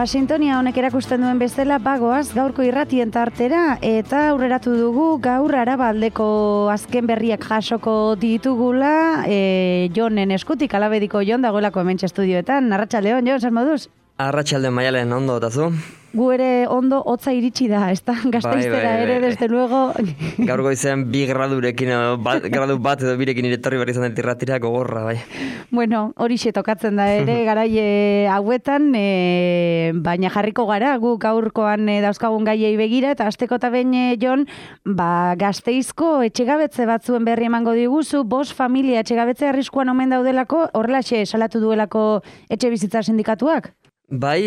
Sintonia honek erakusten duen bezala bagoaz gaurko irratien tartera eta aurreratu dugu gaur Arabaldeko azken berriak jasoko ditugula Jonen eskutik, Alabediko Jon dagoelako hementxe estudioetan. Arratsaldeon, Jon, zer moduz? Arratsaldeon, Maialen, ondo otazu? Gu ere ondo hotza iritsi da, ezta? Gasteiztera ere, desde luego. Gaur goizean 2 gradurekin, gradu bat edo birekin iretorri berri izan irratira gogorra, bai. Bueno, horixe tokatzen da ere, garai hauetan, baina jarriko gara, gu gaurkoan dauzkagun gaiei begira, eta asteko eta behin, Jon, Gasteizko etxegabetze batzuen berri emango diguzu, 5 familia etxegabetze arriskuan omen daudelako, horrelaxe salatu duelako etxebizitza sindikatuak? Bai,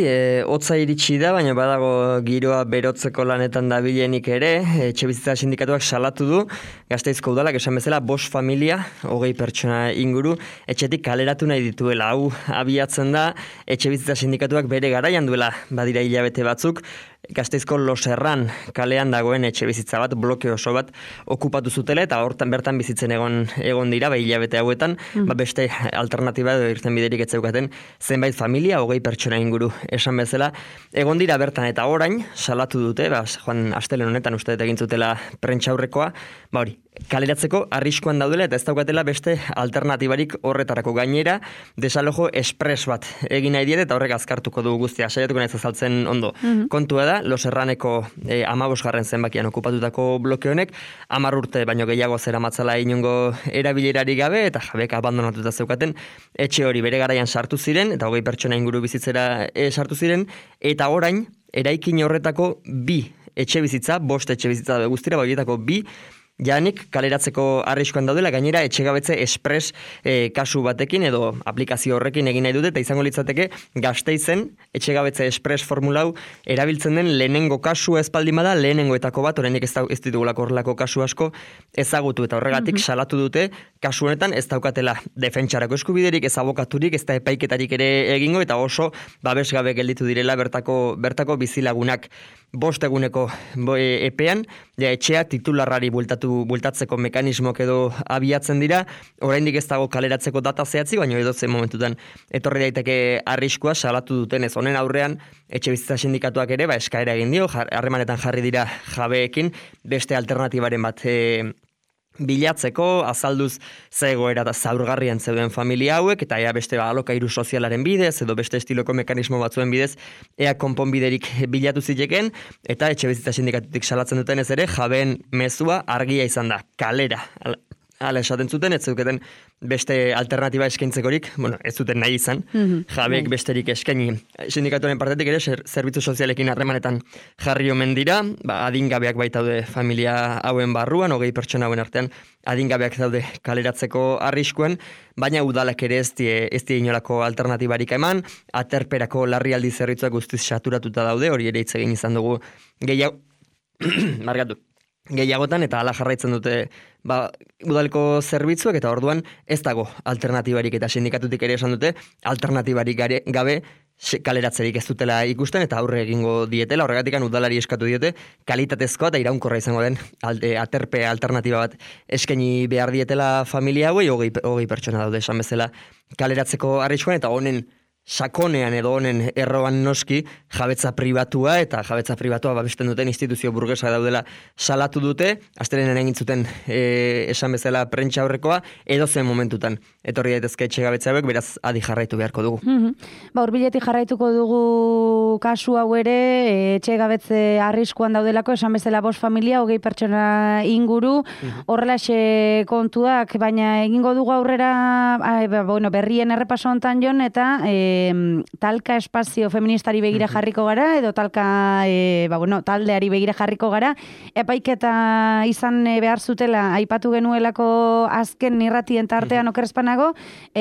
hotza iritsi da, baina badago giroa berotzeko lanetan dabilenik ere, etxebizitza sindikatuak salatu du, Gasteizko udalak esan bezala 5 familia, 20 pertsona inguru, etxetik kaleratu nahi dituela. Hau abiatzen da, etxebizitza sindikatuak bere garaian duela, badira hilabete batzuk, Gasteizko Loserran kalean dagoen etxebizitza bat, bloke oso bat okupatu zutela eta hortan bertan bizitzen egon dira, hilabete hauetan, beste alternatiba edo irtenbiderik ez zeukaten zenbait familia, 20 pertsona inguru esan bezala, egon dira bertan eta orain salatu dute, joan astelen honetan uste egin zutela prentsaurrekoa, hori, kaleratzeko arriskuan daudela eta ez daukatela beste alternatibarik horretarako. Gainera, desalojo espres bat egin nahi diet eta horrek azkartuko du guztia, saiatuko naiz azaltzen ondo. Kontua da, Loserraneko 15. zenbakian okupatutako bloke honek 10 urte baino gehiago zeramatzala inongo erabilerarik gabe eta jabek abandonatuta zeukaten etxe hori bere garaian sartu ziren eta 20 pertsona inguru bizitzera sartu ziren eta orain eraikin horretako 2 etxebizitza, 5 etxebizitza guztira, horietako 2 janik kaleratzeko arriskuan daudela, gainera etxegabetze espres kasu batekin edo aplikazio horrekin egin nahi dute eta izango litzateke Gasteizen etxegabetze espres formulau erabiltzen den lehenengo kasua espaldin bada, lehenengoetako bat, oraindik ez ditugulako horrelako kasu asko ezagutu eta horregatik salatu dute kasu honetan ez daukatela defentsarako eskubiderik, ez abokaturik, ez da epaiketarik ere egingo eta oso babesgabe gelditu direla bertako bizilagunak. 5 eguneko epean, etxea titularrari bultatzeko mekanismoak edo abiatzen dira, oraindik ez dago kaleratzeko data zehatzi, baina edozen momentutan etorri daiteke arriskua salatu dutenez. Honen aurrean, etxebizitza sindikatuak ere, eskaera egin dio, harremanetan jarri dira jabeekin, beste alternatibaren bat bilatzeko, azalduz zegoera da zaurgarrian zeuden familia hauek, eta ea beste alokairu sozialaren bidez, edo beste estiloko mekanismo batzuen bidez, ea konponbiderik bilatu ziteken, eta etxebizitza sindikatutik salatzen dutenez ere, jabeen mezua argia izan da, kalera. Hala esaten zuten, ez zuketen beste alternatiba eskaintzekorik, ez zuten nahi izan, jabeek besterik eskaini. Sindikatuaren partetik ere, zerbitzu sozialekin harremanetan jarri omen dira, adingabeak baitaude familia hauen barruan, 20 pertsona hauen artean, adingabeak daude kaleratzeko arriskuan, baina udalak ere ez die inolako alternatibarik eman, aterperako larrialdi zerbitzuak guztiz saturatuta daude, hori ere hitz egin izan dugu gehiagotan eta hala jarraitzen dute udaleko zerbitzuak eta orduan ez dago alternatibarik eta sindikatutik ere esan dute alternatibarik gabe kaleratzerik ez dutela ikusten eta aurre egingo dietela, horregatik udalari eskatu diote kalitatezkoa eta iraunkorra izango den aterpe alternatiba bat eskaini behar dietela familia hauei, 20 pertsona daude esan bezala kaleratzeko arriskuan eta honen sakonean edo honen erroan noski jabetza pribatua eta jabetza pribatua babesten duten instituzio burgesa daudela salatu dute, astelenen egin zuten esan bezala prentsa aurrekoa, edo zen momentutan etorri daitezke etxegabetze hauek, beraz adi jarraitu beharko dugu. Hurbiletik jarraituko dugu kasu hau ere, etxegabetze arriskuan daudelako, esan bezala 5 familia, 20 pertsona inguru, horrelaxe kontuak, baina egingo dugu aurrera, berrien errepaso hontan, Jon, eta talka espazio feministari begira jarriko gara, edo talka taldeari begira jarriko gara, epaiketa izan behar zutela aipatu genuelako azken irratien tartean okerrezpanago,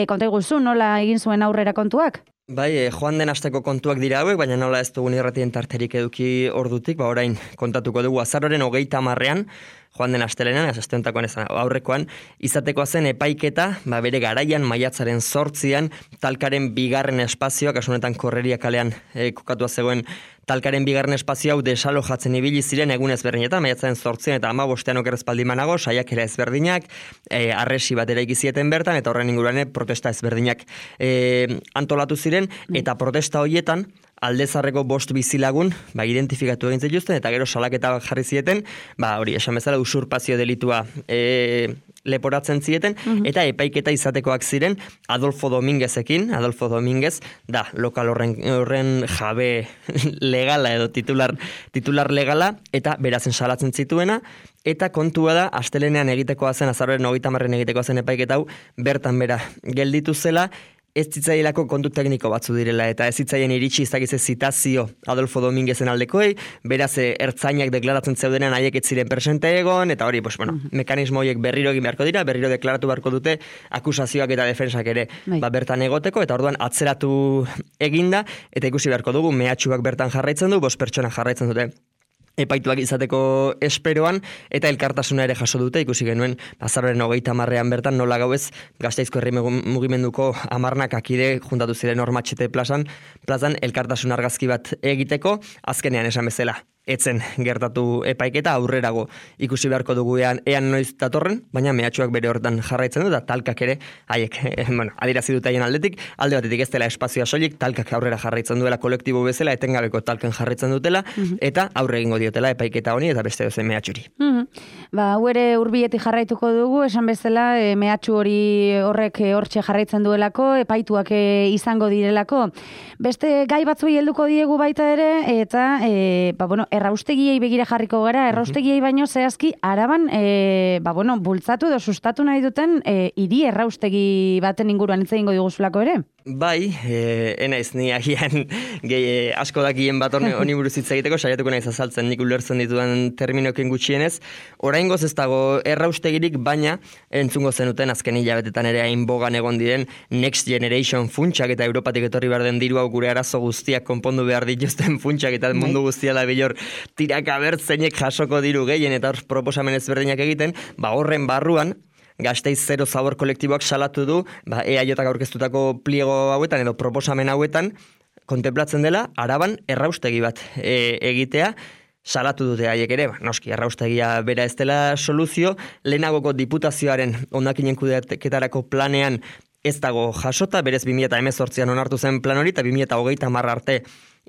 konta iguzu, nola egin zuen aurrera kontuak? Bai, joan den asteko kontuak dira hauek, baina nola ez dugun irratien tarterik eduki ordutik, orain kontatuko dugu azaroren 30ean, joan den astelenean, asteontakoan ez aurrekoan, izatekoa zen epaiketa, bere garaian maiatzaren 8an, talkaren 2. espazioa, kasu honetan Korreria kalean kokatua zegoen talkaren 2. espazio hau desalojatzen ibili ziren egun ezberdinetan, maiatzaren 8an eta 15ean okerrezpaldi manago, saiakera ezberdinak, arresi bat eraiki zieten bertan, eta horren inguruan protesta ezberdinak antolatu ziren, eta protesta horietan aldezarreko 5 bizilagun, identifikatu egin zituzten, eta gero salaketa jarri zieten, hori, esan bezala usurpazio delitua leporatzen zieten, eta epaiketa izatekoak ziren Adolfo Dominguezekin. Adolfo Dominguez da lokal horren jabe legala edo titular legala, eta berazen salatzen zituena, eta kontua da, astelenean egitekoa zen, azaroaren 30 egitekoa zen epaiketa hau, bertan bera gelditu zela, ez zitzaielako kontu tekniko batzu direla, eta ez zitzaien iritsi izakize zitazio Adolfo Dominguezen aldekoei, beraz ertzainak deklaratzen zeudenean haiek ez ziren presente egon, eta hori, mekanismo horiek berriro egin beharko dira, berriro deklaratu beharko dute akusazioak eta defensak ere bertan egoteko, eta orduan atzeratu eginda, eta ikusi beharko dugu, mehatxuak bertan jarraitzen du, 5 pertsona jarraitzen dute epaituak izateko esperoan, eta elkartasuna ere jaso dute, ikusi genuen, azaroaren 30 bertan, nola gauez, Gasteizko herri mugimenduko 10 akide juntatu ziren Ormatxete plazan elkartasun argazki bat egiteko, azkenean esan bezala. Etzen gertatu epaiketa aurrerago ikusi beharko dugu ean noiz datorren, baina mehatxuak bere hortan jarraitzen du, eta talkak ere, haiek, adirazi dut haien alde batetik ez dela espazioa soilik, talkak aurrera jarraitzen duela kolektibo bezala, etengabeko talken jarraitzen dutela, eta aurre egingo diotela epaiketa honi, eta beste dozen mehatxuri. Hau ere urbietik jarraituko dugu, esan bezala, mehatxu hori horrek hortxe jarraitzen duelako, epaituak izango direlako. Beste gai batzui helduko diegu baita ere, eta, erraustegiei begira jarriko gara, erraustegiei baino zehazki Araban, bultzatu edo sustatu nahi duten hiri erraustegi baten inguruan hitz egingo diguzulako ere? Bai, enaiz ni agian asko dakien bat honi buruz hitz egiteko, saiatuko naiz azaltzen nik ulertzen ditudan terminoekin gutxienez. Oraingoz ez dago erraustegirik, baina entzungo zenuten azken hilabetetan ere hain bogan egon diren Next Generation funtsak eta Europatik etorri behar den diru hau gure arazo guztiak konpondu behar dituzten funtsak eta mundu guztia da bilor tiraka bertzeinek jasoko diru gehien eta proposamen ezberdinak egiten, horren barruan Gasteiz Zero Zabor kolektiboak salatu du, EAJak aurkeztutako pliego hauetan edo proposamen hauetan kontemplatzen dela Araban erraustegi bat egitea, salatu dute haiek ere, noski, erraustegia bera ez dela soluzio, lehenagoko diputazioaren hondakinen kudeaketarako planean ez dago jasota, berez 2018an onartu zen plan hori, eta 2030 arte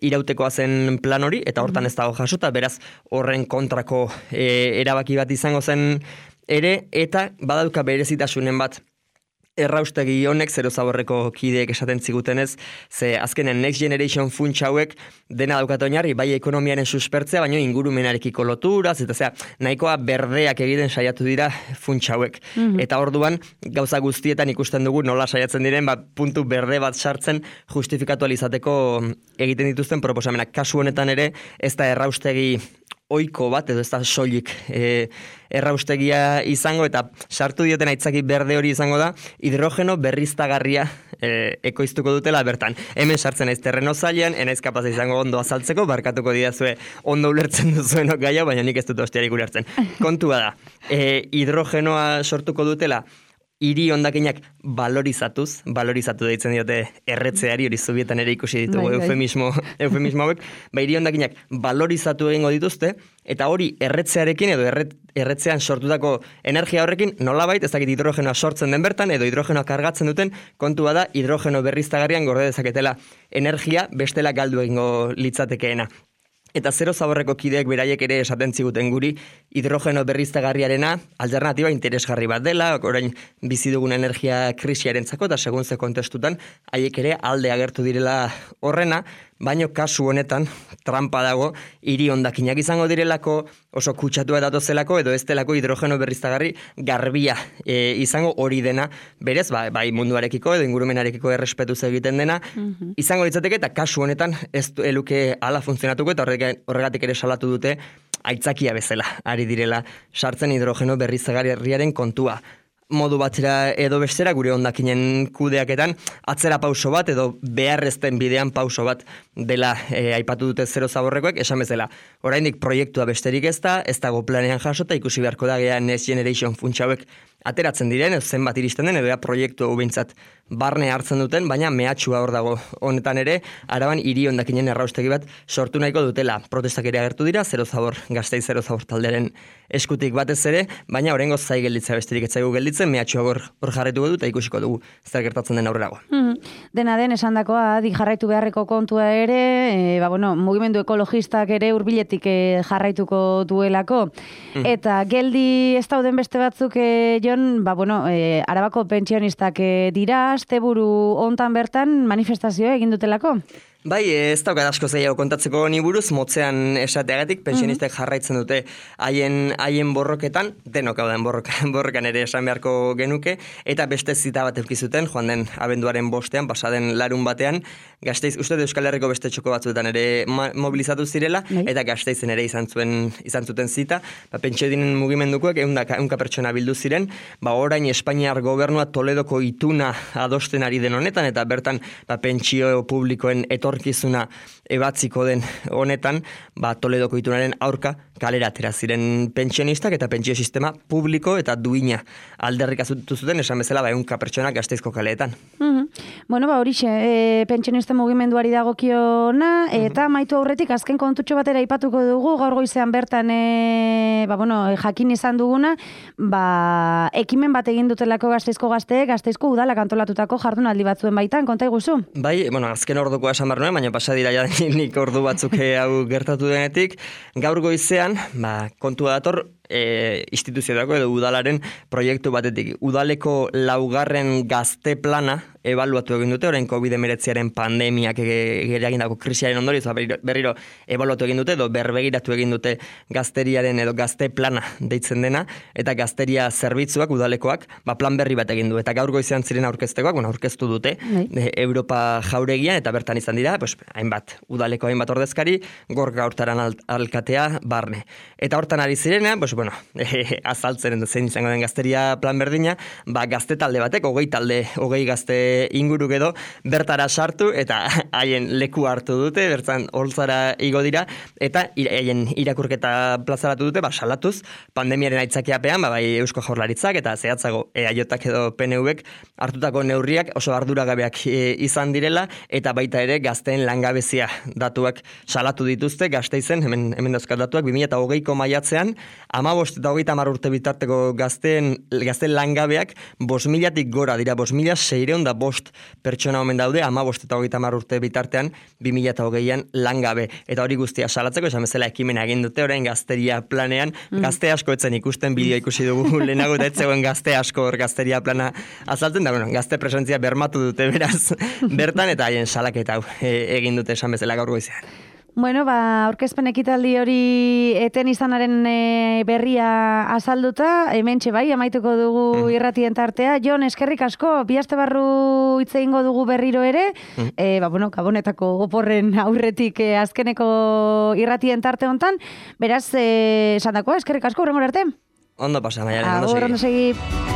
irautekoa zen plan hori, eta hortan ez dago jasota, beraz horren kontrako erabaki bat izango zen ere, eta badauka berezitasunen bat erraustegi honek, Zero Zaborreko kideek esaten zigutenez, ze azkenen Next Generation funtsa hauek dena daukat oinarri, bai ekonomiaren suspertzea, baina ingurumenarekiko loturaz, eta nahikoa berdeak egiten saiatu dira funtsa hauek. Eta orduan, gauza guztietan ikusten dugu nola saiatzen diren, puntu berde bat sartzen justifikatu alizateko egiten dituzten proposamenak. Kasu honetan ere, ez da erraustegi oiko bat, edo ez da soilik erraustegia izango, eta sartu dioten aitzaki berde hori izango da, hidrogeno berriztagarria ekoiztuko dutela bertan. Hemen sartzen naiz terreno zailean, enaiz kapaz izango ondo azaltzeko, barkatuko didazue ondo ulertzen duzuenok gaia, baina nik ez dut ostiarik ulertzen. Kontua da, hidrogenoa sortuko dutela, hiri hondakinak valorizatu deitzen diote erretzeari, hori zubietan ere ikusi ditugu eufemismo hauek, hiri hondakinak valorizatu egingo dituzte, eta hori erretzearekin edo erretzean sortutako energia horrekin nolabait ez dakit hidrogenoa sortzen den bertan, edo hidrogenoa kargatzen duten, kontua da hidrogeno berriztagarrian gorde dezaketela energia bestela galdu egingo litzatekeena. Eta Zero Zaborreko kideek beraiek ere esaten ziguten guri hidrogeno berriztagarriarena alternatiba interesgarri bat dela, orain bizi dugun energia krisiarentzako eta segun ze kontestutan haiek ere alde agertu direla horrena, baino kasu honetan trampa dago hiri hondakinak izango direlako, oso kutsatua datozelako edo ez delako hidrogeno berriztagarri garbia izango hori dena, berez, bai munduarekiko edo ingurumenarekiko errespetuz egiten dena, izango litzateke eta kasu honetan ez eluke ala funtzionatuko eta horregatik ere salatu dute aitzakia bezala, ari direla sartzen hidrogeno berriztagarriaren kontua. Modu batera edo bestera gure hondakinen kudeaketan atzera pauso bat edo beharrezten bidean pauso bat dela aipatu dute Zero Zaborrekoek, esan bezala. Oraindik proiektua besterik ez dago planean jasota, ikusi beharko da Next Generation funtsa hauek ateratzen diren, zenbat iristen den, edo proiektu behintzat barne hartzen duten, baina mehatxua hor dago. Honetan ere, Araban hiri hondakinen erraustegi bat sortu nahiko dutela. Protestak ere agertu dira, Zero Zabor, Gasteiz Zero Zabor taldearen eskutik batez ere, baina oraingoz zai gelditza besterik etzaigu gelditzen, mehatxua hor jarraituko du eta ikusiko dugu zer gertatzen den aurrerago. Dena den esandakoa adi jarraitu beharreko kontua ere, mugimendu ekologistak ere hurbiletik jarraituko duelako. Eta geldi ez dauden beste batzuk, Jon, Arabako pentsionistak dira, asteburu hontan bertan manifestazioa egin dutelako? Bai, ez daukat asko zailago kontatzeko ni buruz, motzean esateagatik, pensionistek jarraitzen dute haien borroketan, denok hau den borrokan ere esan beharko genuke, eta beste zita bat eukizuten, joan den abenduaren 5ean, pasaden larun batean, Gasteiz, uste Euskal Herriko beste txoko batzuetan ere mobilizatu zirela, eta Gasteizen ere izan zuten zita, pentsiodinen mugimendukoek 100 pertsona bildu ziren, orain Espainiar gobernua Toledoko ituna adosten ari den honetan, eta bertan pentsio publikoen etorkizuna ebatziko den honetan, Toledoko itunaren aurka kalera atera ziren pentsionistak eta pentsio sistema publiko eta duina alderrikatu zuten, esan bezala 100 pertsona Gasteizko kaleetan. Horixe, pentsionisten mugimenduari dagokiona, eta maitu aurretik azken kontutxo batera aipatuko dugu, gaur goizean bertan jakin izan duguna, ekimen bat egin dutelako Gasteizko gazteek, Gasteizko udalak antolatutako jardunaldi batzuen baitan, konta iguzu? Bai, azken ordukoa esan behar nuen, baina pasadira nik ordu batzuk hau gertatu denetik, gaur goizean, kontua dator, instituzioetako edo udalaren proiektu batetik. Udaleko 4. gazte plana ebaluatu egin dute, orain COVID-19 pandemiak eragindako krisiaren ondorioz, berriro ebaluatu egin dute, edo berbegiratu egin dute gazteriaren edo gazte plana deitzen dena, eta gazteria zerbitzuak, udalekoak, plan berri bat egin du. Eta gaur goizean ziren aurkeztekoak, aurkeztu dute, Europa jauregian, eta bertan izan dira, udaleko hainbat ordezkari, Gorka Hurtaran alkatea barne. Eta hortan ari zirena, azaltzen zein izango den gazteria plan berdina, gazte talde batek, 20 gazte inguru edo bertara sartu eta haien leku hartu dute, bertzan holtzara igo dira, eta haien irakurketa plazaratu dute, salatuz, pandemiaren aitzakiapean, bai Eusko Jaurlaritzak eta zehatzago EAJak edo PNVek hartutako neurriak oso arduragabeak izan direla, eta baita ere gazteen langabezia datuak salatu dituzte, Gasteizen, hemen dauzkat datuak, 2020ko maiatzean, 15 eta 30 urte bitarteko gazteen langabeak 5.000-tik gora dira, 5.605 pertsona omen daude, 15 eta 30 urte bitartean 2020an langabe. Eta hori guztia salatzeko, esan bezala ekimena egin dute, orain gazteria planean, gazte asko etzen ikusten, bideo ikusi dugu lehenago, eta etzegoen gazte asko hor gazteria plana azaltzen, da gazte presentzia bermatu dute beraz bertan, eta haien salaketa egin dute esan bezala gaur goizean. Aurkezpen ekitaldi hori eten izanaren berria azalduta, hementxe bai, amaituko dugu irratien tartea. Jon, eskerrik asko, bi aste barru hitz egingo dugu berriro ere, Gabonetako oporren aurretik azkeneko irratien tarte hontan, beraz, esandakoa, eskerrik asko, hurrengora arte. Ondo pasa, Maialen, ondo segi. Ondo segi.